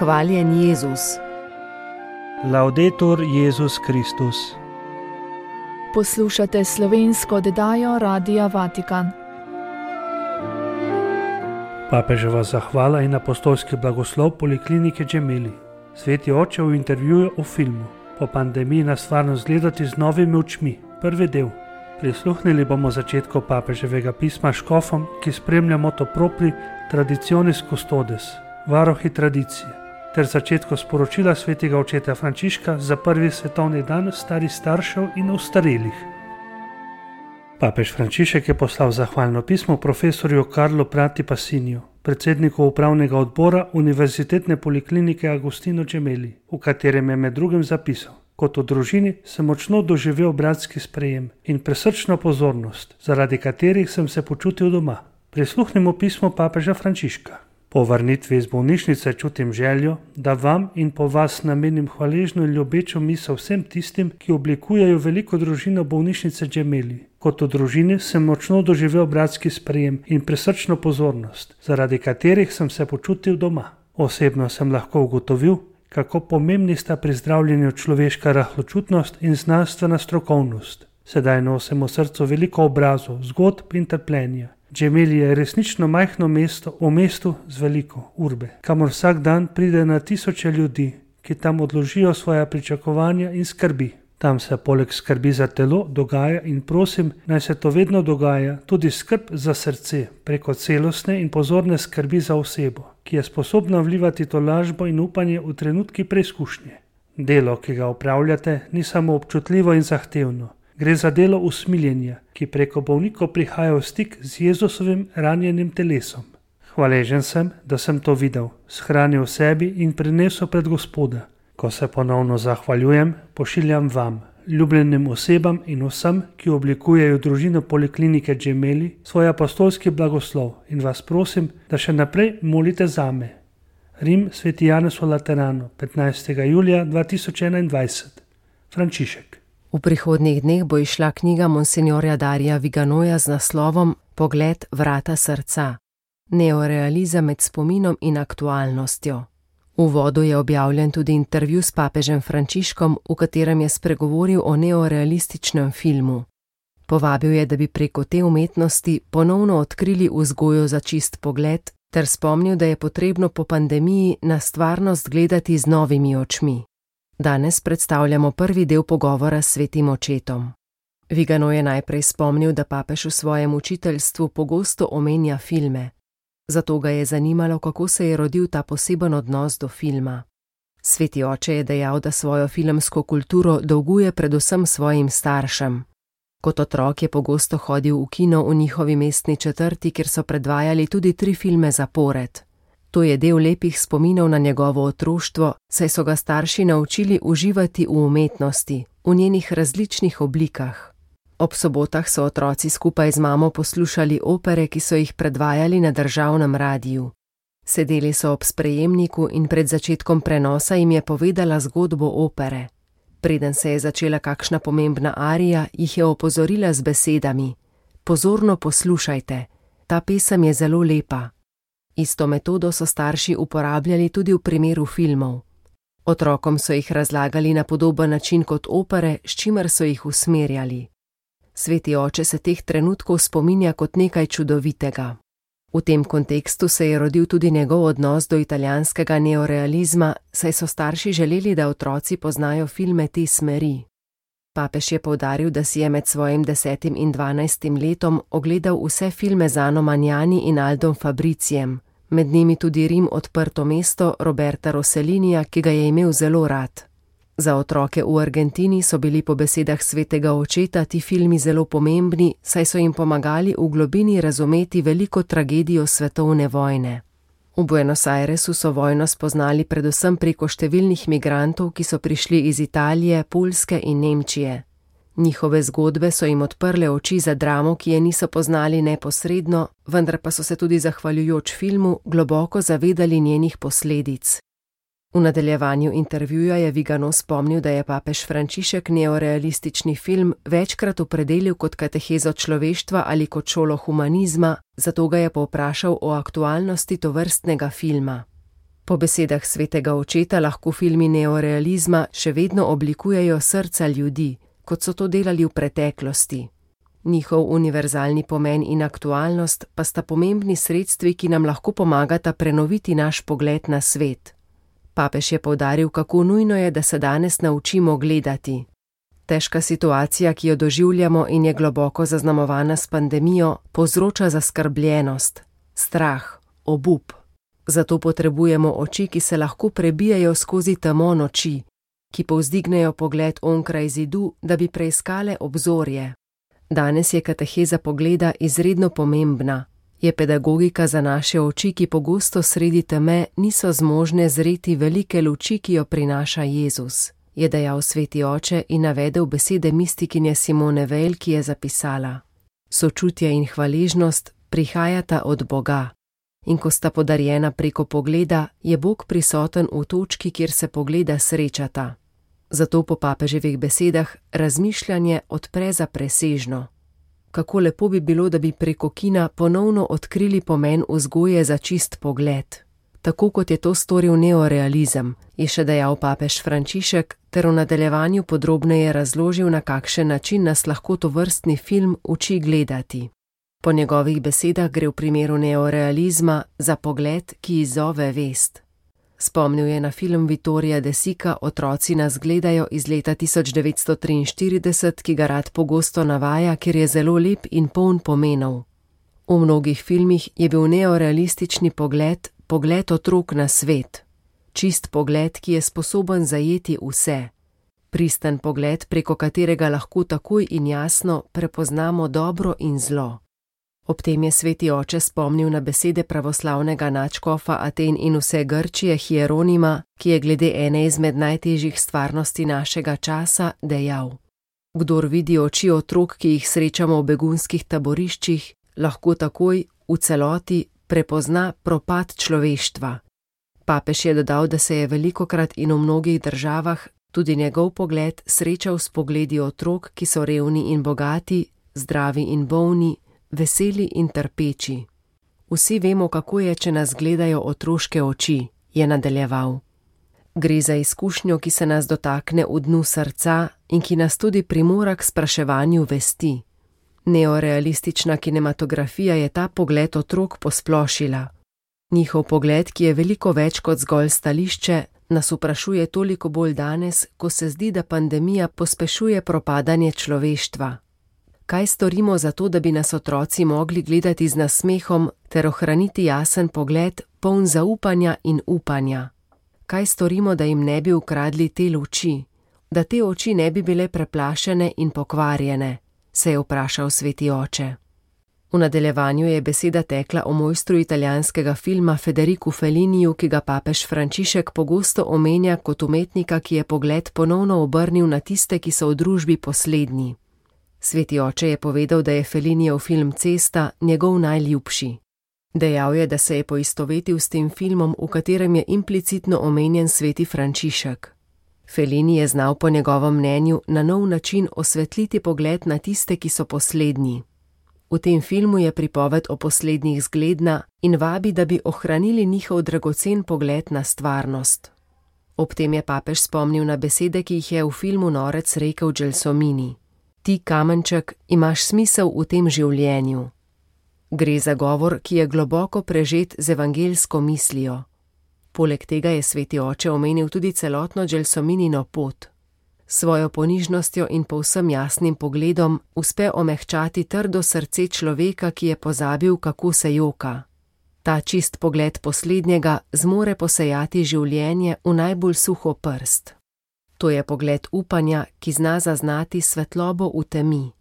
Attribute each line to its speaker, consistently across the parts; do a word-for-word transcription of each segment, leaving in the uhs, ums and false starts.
Speaker 1: Hvaljen Jezus.
Speaker 2: Laudetur Jezus Kristus.
Speaker 3: Poslušate slovensko oddajo Radia Vatikan.
Speaker 2: Papeževa zahvala in apostolski blagoslov Poliklinike Gemelli. Sveti oče v intervjuju o filmu Po pandemiji na stvarnost gledati z novimi očmi. Prvi del. Prisluhnili bomo začetku papeževega pisma škofom, ki spremlja moto propri Traditionis Custodes, varohi tradicije, ter začetku sporočila svetega očeta Frančiška za prvi svetovni dan starih staršev in ostarelih. Papež Frančišek je poslal zahvalno pismo profesorju Karlo Prati Passiniju, predsedniku upravnega odbora Univerzitetne poliklinike Agostino Gemelli, v katerem je med drugim zapisal: Kot v družini sem močno doživel bratski sprejem in presrčno pozornost, zaradi katerih sem se počutil doma. Prisluhnimo pismo papeža Frančiška. Po vrnitvi iz bolnišnice čutim željo, da vam in po vas namenim hvaležno in ljubečo misel vsem tistim, ki oblikujejo veliko družino bolnišnice Gemelli. Kot v družini sem močno doživel bratski sprejem in presrčno pozornost, zaradi katerih sem se počutil doma. Osebno sem lahko ugotovil, kako pomembni sta pri zdravljenju človeška rahločutnost in znanstvena strokovnost. Sedaj nosim v srcu veliko obrazov, zgodb in trpljenja. Gemelli je resnično majhno mesto v mestu z veliko urbe, kamor vsak dan pride na tisoče ljudi, ki tam odložijo svoja pričakovanja in skrbi. Tam se poleg skrbi za telo dogaja in prosim, naj se to vedno dogaja, tudi skrb za srce, preko celostne in pozorne skrbi za osebo, ki je sposobna vlivati tolažbo in upanje v trenutki preizkušnje. Delo, ki ga opravljate, ni samo občutljivo in zahtevno. Gre za delo usmiljenja, ki preko bolnikov prihaja v stik z Jezusovim ranjenim telesom. Hvaležen sem, da sem to videl, shranil v sebi in prinesel pred Gospoda. Ko se ponovno zahvaljujem, pošiljam vam, ljubljenim osebam in vsem, ki oblikujejo družino Poliklinike Gemelli, svoj apostolski blagoslov in vas prosim, da še naprej molite zame. Rim, Sveti Janez v Lateranu, petnajstega julija dva tisoč enaindvajset. Frančišek.
Speaker 1: V prihodnjih dneh bo izšla knjiga monsinjorja Darija Viganoja z naslovom Pogled vrata srca. Neorealizem med spominom in aktualnostjo. V uvodu je objavljen tudi intervju s papežem Frančiškom, v katerem je spregovoril o neorealističnem filmu. Povabil je, da bi preko te umetnosti ponovno odkrili vzgojo za čist pogled, ter spomnil, da je potrebno po pandemiji na stvarnost gledati z novimi očmi. Danes predstavljamo prvi del pogovora s svetim očetom. Vigano je najprej spomnil, da papež v svojem učiteljstvu pogosto omenja filme. Zato ga je zanimalo, kako se je rodil ta poseben odnos do filma. Sveti oče je dejal, da svojo filmsko kulturo dolguje predvsem svojim staršem. Kot otrok je pogosto hodil v kino v njihovi mestni četrti, kjer so predvajali tudi tri filme zapored. To je del lepih spominov na njegovo otroštvo, saj so ga starši naučili uživati v umetnosti, v njenih različnih oblikah. Ob sobotah so otroci skupaj z mamo poslušali opere, ki so jih predvajali na državnem radiju. Sedeli so ob sprejemniku in pred začetkom prenosa jim je povedala zgodbo opere. Preden se je začela kakšna pomembna arija, jih je opozorila z besedami: Pozorno poslušajte, ta pesem je zelo lepa. Isto metodo so starši uporabljali tudi v primeru filmov. Otrokom so jih razlagali na podoben način kot opere, s čimer so jih usmerjali. Sveti oče se teh trenutkov spominja kot nekaj čudovitega. V tem kontekstu se je rodil tudi njegov odnos do italijanskega neorealizma, saj so starši želeli, da otroci poznajo filme te smeri. Papež je poudaril, da si je med svojim desetim in dvanajstim letom ogledal vse filme z Anno Magnani in Aldom Fabricijem, med njimi tudi Rim, odprto mesto Roberta Rossellinija, ki ga je imel zelo rad. Za otroke v Argentini so bili po besedah svetega očeta ti filmi zelo pomembni, saj so jim pomagali v globini razumeti veliko tragedijo svetovne vojne. V Buenos Airesu so vojno spoznali predvsem preko številnih migrantov, ki so prišli iz Italije, Poljske in Nemčije. Njihove zgodbe so jim odprle oči za dramo, ki je niso poznali neposredno, vendar pa so se tudi zahvaljujoč filmu globoko zavedali njenih posledic. V nadaljevanju intervjuja je Vigano spomnil, da je papež Frančišek neorealistični film večkrat opredelil kot katehezo človeštva ali kot šolo humanizma, zato ga je povprašal o aktualnosti tovrstnega filma. Po besedah svetega očeta lahko filmi neorealizma še vedno oblikujejo srca ljudi, kot so to delali v preteklosti. Njihov univerzalni pomen in aktualnost pa sta pomembni sredstvi, ki nam lahko pomagata prenoviti naš pogled na svet. Papež je poudaril, kako nujno je, da se danes naučimo gledati. Težka situacija, ki jo doživljamo in je globoko zaznamovana s pandemijo, povzroča zaskrbljenost, strah, obup. Zato potrebujemo oči, ki se lahko prebijajo skozi temo noči, ki povzdignejo pogled onkraj zidu, da bi preiskale obzorje. Danes je kateheza pogleda izredno pomembna. Je pedagogika za naše oči, ki pogosto sredi teme niso zmožne zreti velike luči, ki jo prinaša Jezus, je dejal sveti oče in navedel besede mistikinje Simone Weil, ki je zapisala: Sočutje in hvaležnost prihajata od Boga. In ko sta podarjena preko pogleda, je Bog prisoten v točki, kjer se pogleda srečata. Zato po papeževih besedah razmišljanje odpre za presežno. Kako lepo bi bilo, da bi preko kina ponovno odkrili pomen vzgoje za čist pogled. Tako kot je to storil neorealizem, je še dejal papež Frančišek, ter v nadaljevanju podrobneje razložil, na kakšen način nas lahko tovrstni film uči gledati. Po njegovih besedah gre v primeru neorealizma za pogled, ki izzove vest. Spomnil je na film Vittorija De Sica Otroci nas gledajo iz leta tisoč devetsto triinštirideset, ki ga rad pogosto navaja, ker je zelo lep in poln pomenov. V mnogih filmih je bil neorealistični pogled pogled otrok na svet. Čist pogled, ki je sposoben zajeti vse. Pristen pogled, preko katerega lahko takoj in jasno prepoznamo dobro in zlo. Ob tem je sveti oče spomnil na besede pravoslavnega nadškofa Aten in vse Grčije Hieronima, ki je glede ene izmed najtežjih stvarnosti našega časa dejal: Kdor vidi oči otrok, ki jih srečamo v begunskih taboriščih, lahko takoj, v celoti, prepozna propad človeštva. Papež je dodal, da se je velikokrat in v mnogih državah tudi njegov pogled srečal s pogledi otrok, ki so revni in bogati, zdravi in bolni, veseli in trpeči. Vsi vemo, kako je, če nas gledajo otroške oči, je nadaljeval. Gre za izkušnjo, ki se nas dotakne v dnu srca in ki nas tudi primora k spraševanju vesti. Neorealistična kinematografija je ta pogled otrok posplošila. Njihov pogled, ki je veliko več kot zgolj stališče, nas vprašuje toliko bolj danes, ko se zdi, da pandemija pospešuje propadanje človeštva. Kaj storimo za to, da bi nas otroci mogli gledati z nasmehom ter ohraniti jasen pogled, poln zaupanja in upanja? Kaj storimo, da jim ne bi ukradli te luči, da te oči ne bi bile preplašene in pokvarjene, se je vprašal sveti oče. V nadaljevanju je beseda tekla o mojstru italijanskega filma Federicu Felliniju, ki ga papež Frančišek pogosto omenja kot umetnika, ki je pogled ponovno obrnil na tiste, ki so v družbi poslednji. Sveti oče je povedal, da je Fellinijev film Cesta njegov najljubši. Dejal je, da se je poistovetil s tem filmom, v katerem je implicitno omenjen sveti Frančišek. Fellini je znal po njegovem mnenju na nov način osvetliti pogled na tiste, ki so poslednji. V tem filmu je pripoved o poslednjih zgledna in vabi, da bi ohranili njihov dragocen pogled na stvarnost. Ob tem je papež spomnil na besede, ki jih je v filmu Norec rekel Gelsomini. Ti, kamenček, imaš smisel v tem življenju. Gre za govor, ki je globoko prežet z evangeljsko mislijo. Poleg tega je sveti oče omenil tudi celotno Gelsominino pot. Svojo ponižnostjo in povsem jasnim pogledom uspe omehčati trdo srce človeka, ki je pozabil, kako se joka. Ta čist pogled poslednjega zmore posejati življenje v najbolj suho prst. To je pogled upanja, ki zna zaznati svetlobo v temi.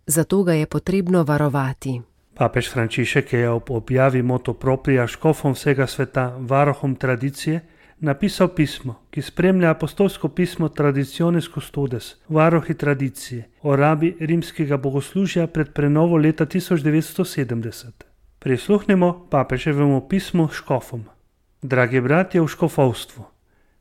Speaker 1: Zato ga je potrebno varovati.
Speaker 2: Papež Frančišek je ob objavi motu propria škofom vsega sveta, varohom tradicije, napisal pismo, ki spremlja apostolsko pismo Traditionis Custodes, varohi tradicije, o rabi rimskega bogoslužja pred prenovo leta tisoč devetsto sedemdeset. Prisluhnimo papeževemu pismu škofom. Dragi bratje v škofovstvu,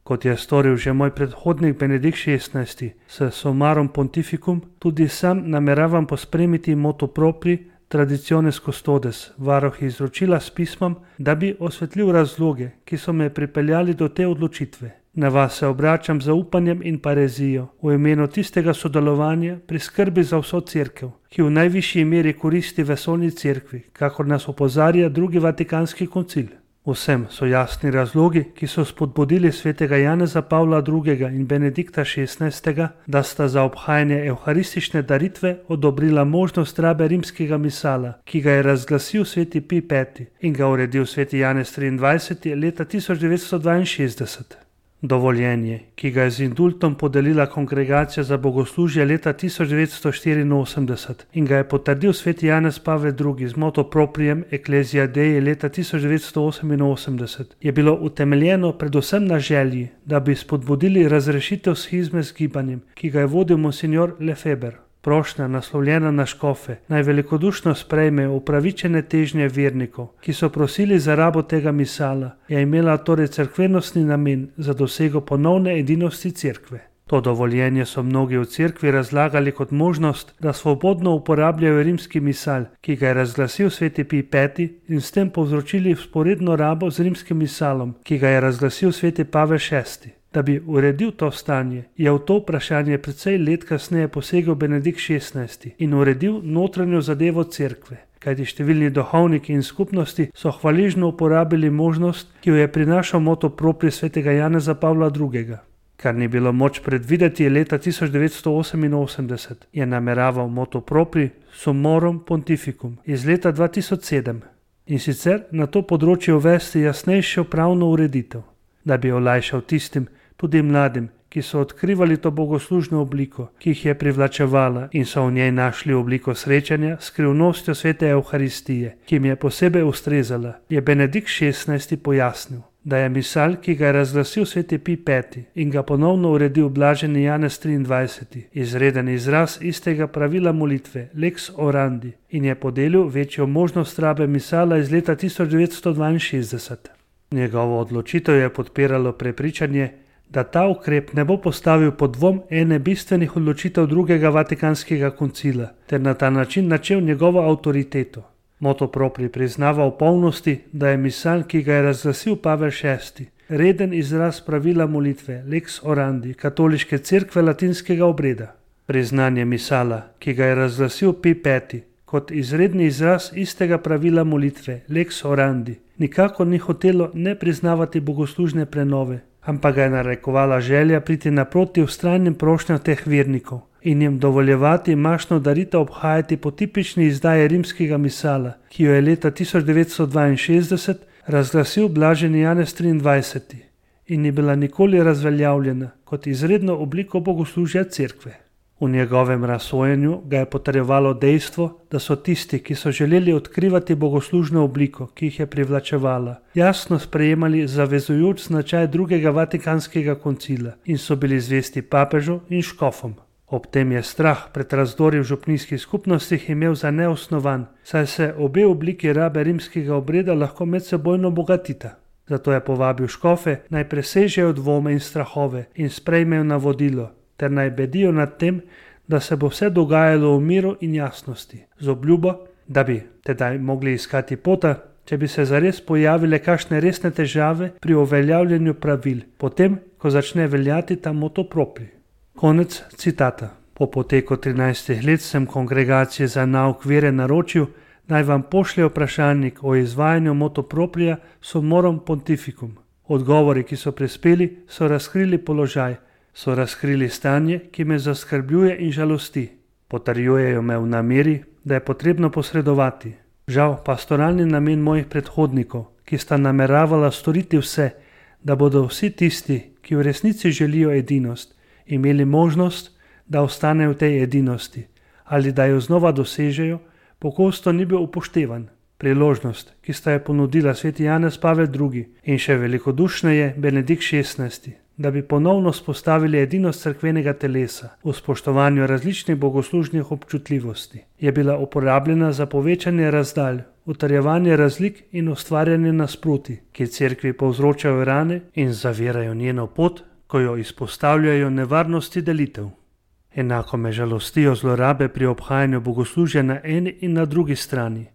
Speaker 2: kot je storil že moj predhodnik Benedikt šestnajsti s Summarum Pontificum, tudi sam nameravam pospremiti motu propri Traditiones Custodes, varuh izročila s pismom, da bi osvetlil razloge, ki so me pripeljali do te odločitve. Na vas se obračam z upanjem in parezijo v imenu tistega sodelovanja pri skrbi za vso cerkev, ki v najvišji meri koristi vesoljni cerkvi, kakor nas opozarja drugi Vatikanski koncil. Vsem so jasni razlogi, ki so spodbudili svetega Janeza Pavla drugega in Benedikta šestnajstega, da sta za obhajanje evharistične daritve odobrila možnost rabe rimskega misala, ki ga je razglasil sveti Pij peti in ga uredil sveti Janez triindvajseti leta tisoč devetsto dvainšestdeset. Dovoljenje, ki ga je z indultom podelila Kongregacija za bogoslužje leta tisoč devetsto štiriinosemdeset in ga je potrdil sveti Janez Pavel drugi z motu proprijem Ecclesia Dei leta tisoč devetsto oseminosemdeset, je bilo utemeljeno predvsem na želji, da bi spodbudili razrešitev shizme z gibanjem, ki ga je vodil monsignor Lefeber. Prošnja, naslovljena na škofe, naj velikodušno sprejme upravičene težnje vernikov, ki so prosili za rabo tega misala, je imela torej cerkvenostni namen za dosego ponovne edinosti cerkve. To dovoljenje so mnogi v cerkvi razlagali kot možnost, da svobodno uporabljajo rimski misal, ki ga je razglasil sveti Pij peti in s tem povzročili vzporedno rabo z rimskim misalom, ki ga je razglasil sveti Pavel šesti. Da bi uredil to stanje, je v to vprašanje precej let kasneje posegel Benedikt šestnajsti in uredil notranjo zadevo cerkve, kajti številni duhovniki in skupnosti so hvaležno uporabili možnost, ki jo je prinašal motu propri svetega Janeza Pavla drugega. Kar ni bilo moč predvideti leta tisoč devetsto oseminosemdeset, je nameraval motu propri Summorum Pontificum iz leta dva tisoč sedem in sicer na to področje uvesti jasnejšo pravno ureditev, da bi olajšal tistim, tudi mladim, ki so odkrivali to bogoslužno obliko, ki jih je privlačevala in so v njej našli obliko srečanja s skrivnostjo svete Evharistije, ki jim je posebej ustrezala, je Benedikt šestnajsti pojasnil, da je misal, ki ga je razglasil sveti Pij peti in ga ponovno uredil blaženi Janez triindvajseti, izreden izraz istega pravila molitve, lex orandi, in je podelil večjo možnost rabe misala iz leta tisoč devetsto dvainšestdeset. Njegovo odločitev je podpiralo prepričanje, da ta ukrep ne bo postavil pod dvom ene bistvenih odločitev drugega Vatikanskega koncila, ter na ta način načel njegovo avtoriteto. Motu propri priznava v polnosti, da je misal, ki ga je razglasil Pavel šesti, reden izraz pravila molitve, lex orandi, katoliške cerkve latinskega obreda. Priznanje misala, ki ga je razglasil Pij peti, kot izredni izraz istega pravila molitve, lex orandi, nikakor ni hotelo ne priznavati bogoslužne prenove, ampak ga je narekovala želja priti naproti vztrajnim prošnjam teh vernikov in jim dovoljevati mašno daritev obhajati po tipični izdaji rimskega misala, ki jo je leta tisoč devetsto dvainšestdeset razglasil blaženi Janez triindvajseti in ni bila nikoli razveljavljena kot izredno obliko bogoslužja cerkve. V njegovem razsojenju ga je potrjevalo dejstvo, da so tisti, ki so želeli odkrivati bogoslužno obliko, ki jih je privlačevala, jasno sprejemali zavezujoč značaj drugega Vatikanskega koncila in so bili zvesti papežu in škofom. Ob tem je strah pred razdori v župnijskih skupnostih imel za neosnovan, saj se obe obliki rabe rimskega obreda lahko medsebojno bogatita. Zato je povabil škofe, naj presežejo dvome in strahove in sprejmejo navodilo, ter naj bedijo nad tem, da se bo vse dogajalo v miru in jasnosti, z obljubo, da bi tedaj mogli iskati pota, če bi se zares pojavile kakšne resne težave pri uveljavljanju pravil, potem, ko začne veljati ta motu propri. Konec citata. Po poteku trinajstih let sem Kongregaciji za nauk vere naročil, naj vam pošlje vprašalnik o izvajanju motu proprija Summorum Pontificum. Odgovori, ki so prispeli, so razkrili položaj, so razkrili stanje, ki me zaskrbljuje in žalosti. Potrjujejo me v nameri, da je potrebno posredovati. Žal, pastoralni namen mojih predhodnikov, ki sta nameravala storiti vse, da bodo vsi tisti, ki v resnici želijo edinost, imeli možnost, da ostanejo v tej edinosti ali da jo znova dosežejo, pogosto ni bil upoštevan. Priložnost, ki sta jo ponudila sveti Janez Pavel drugi in še velikodušneje Benedikt šestnajsti, da bi ponovno spostavili edinost cerkvenega telesa v spoštovanju različnih bogoslužnih občutljivosti, je bila uporabljena za povečanje razdalj, utrjevanje razlik in ustvarjanje nasprotij, ki cerkvi povzročajo rane in zavirajo njeno pot, ko jo izpostavljajo nevarnosti delitev. Enako me žalostijo zlorabe pri obhajanju bogoslužja na eni in na drugi strani.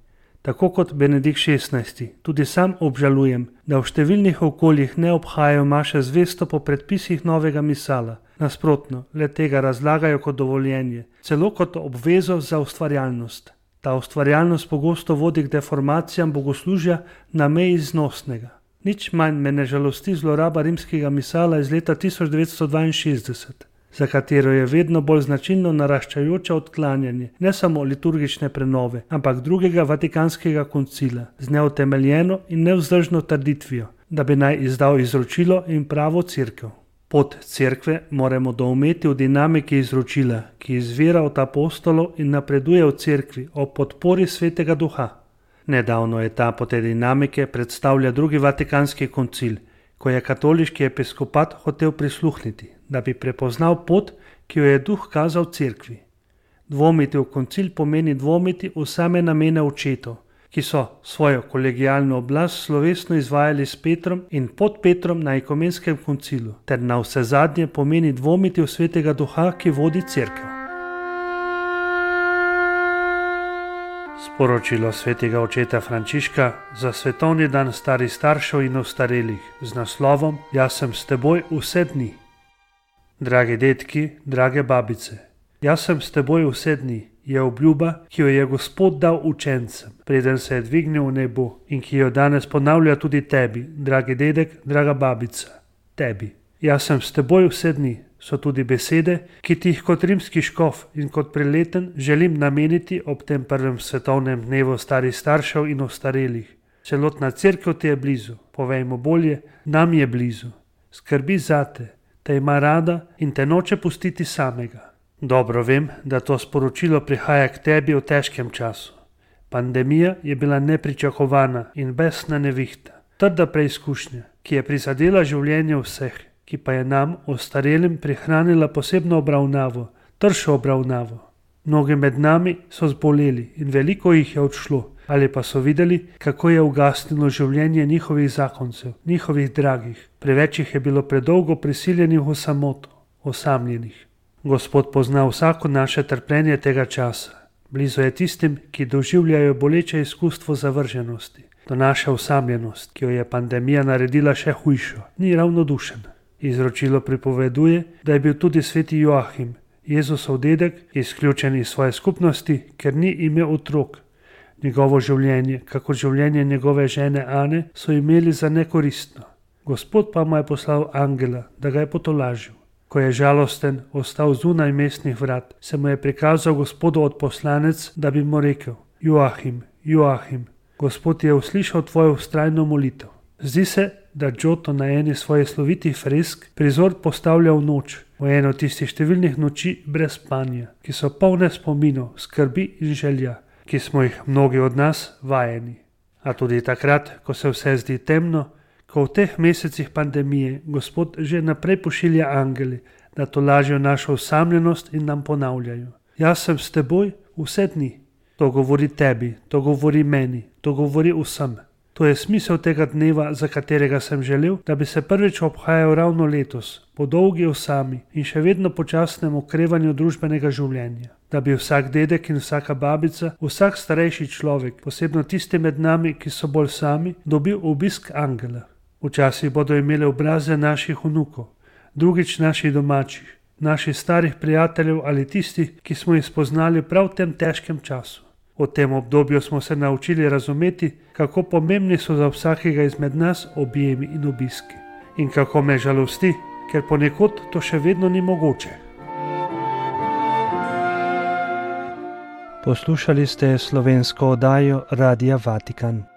Speaker 2: Tako kot Benedikt šestnajsti, tudi sam obžalujem, da v številnih okoljih ne obhajajo maše zvesto po predpisih novega misala. Nasprotno, le tega razlagajo kot dovoljenje, celo kot obvezo za ustvarjalnost. Ta ustvarjalnost pogosto vodi k deformacijam bogoslužja na meji znosnega. Nič manj me ne žalosti zloraba rimskega misala iz leta tisoč devetsto dvainšestdeset, za katero je vedno bolj značilno naraščajoče odklanjanje ne samo liturgične prenove, ampak drugega vatikanskega koncila z neutemeljeno in nevzdržno trditvijo, da bi naj izdal izročilo in pravo cerkev. Pot cerkve moramo doumeti v dinamiki izročila, ki izvira od apostolov in napreduje v cerkvi ob podpori Svetega Duha. Nedavno je ta po tej dinamike predstavlja drugi vatikanski koncil, ko je katoliški episkopat hotel prisluhniti, da bi prepoznal pot, ki jo je Duh kazal cerkvi. Dvomiti v koncil pomeni dvomiti v same namene očetov, ki so svojo kolegialno oblast slovesno izvajali s Petrom in pod Petrom na ekumenskem koncilu, ter na vse zadnje pomeni dvomiti v Svetega Duha, ki vodi cerkev. Sporočilo svetega očeta Frančiška za svetovni dan starih staršev in ostarelih z naslovom Jaz sem s teboj vse dni. Dragi dedki, drage babice, jaz sem s teboj vse dni je obljuba, ki jo je Gospod dal učencem, preden se je dvignil v nebo in ki jo danes ponavlja tudi tebi, dragi dedek, draga babica, tebi. Jaz sem s teboj vse dni so tudi besede, ki ti jih kot rimski škof in kot preleten želim nameniti ob tem prvem svetovnem dnevu starih staršev in ostarelih. Celotna cerkev ti je blizu, povejmo bolje, nam je blizu. Skrbi zate, te ima rada in te noče pustiti samega. Dobro vem, da to sporočilo prihaja k tebi v težkem času. Pandemija je bila nepričakovana in besna nevihta, trda preizkušnja, ki je prizadela življenje vseh, ki pa je nam, ostarelim, prihranila posebno obravnavo, tršo obravnavo. Mnogi med nami so zboleli in veliko jih je odšlo, ali pa so videli, kako je ugasnilo življenje njihovih zakoncev, njihovih dragih. Preveč jih je bilo predolgo prisiljenih v samoto, osamljenih. Gospod pozna vsako naše trpljenje tega časa. Blizu je tistim, ki doživljajo boleče izkustvo zavrženosti. To naša osamljenost, ki jo je pandemija naredila še hujšo, ni ravnodušen. Izročilo pripoveduje, da je bil tudi sveti Joahim, Jezusov dedek, izključen iz svoje skupnosti, ker ni imel otrok. Njegovo življenje, kako življenje njegove žene Ane, so imeli za nekoristno. Gospod pa mu je poslal angela, da ga je potolažil. Ko je žalosten ostal zunaj mestnih vrat, se mu je prikazal Gospodu odposlanec, da bi mu rekel: Joahim, Joahim, Gospod je uslišal tvojo vztrajno molitev. Zdi se, da Giotto na eni svojih slovitih fresk prizor postavlja v noč, v eno tistih številnih noči brez spanja, ki so polne spominov, skrbi in želja, ki smo jih mnogi od nas vajeni. A tudi takrat, ko se vse zdi temno, ko v teh mesecih pandemije Gospod že naprej pošilja angeli, da tolažijo našo osamljenost in nam ponavljajo: Jaz sem s teboj vse dni. To govori tebi, to govori meni, to govori vsem. To je smisel tega dneva, za katerega sem želel, da bi se prvič obhajal ravno letos, po dolgi osami in še vedno počasnem okrevanju družbenega življenja. Da bi vsak dedek in vsaka babica, vsak starejši človek, posebno tisti med nami, ki so bolj sami, dobil obisk angela. Včasih bodo imeli obraze naših vnukov, drugič naših domačih, naših starih prijateljev ali tistih, ki smo jih spoznali prav v tem težkem času. V tem obdobju smo se naučili razumeti, kako pomembni so za vsakega izmed nas objemi in obiski. In kako me žalosti, ker ponekod to še vedno ni mogoče.
Speaker 4: Poslušali ste slovensko oddajo Radia Vatikan.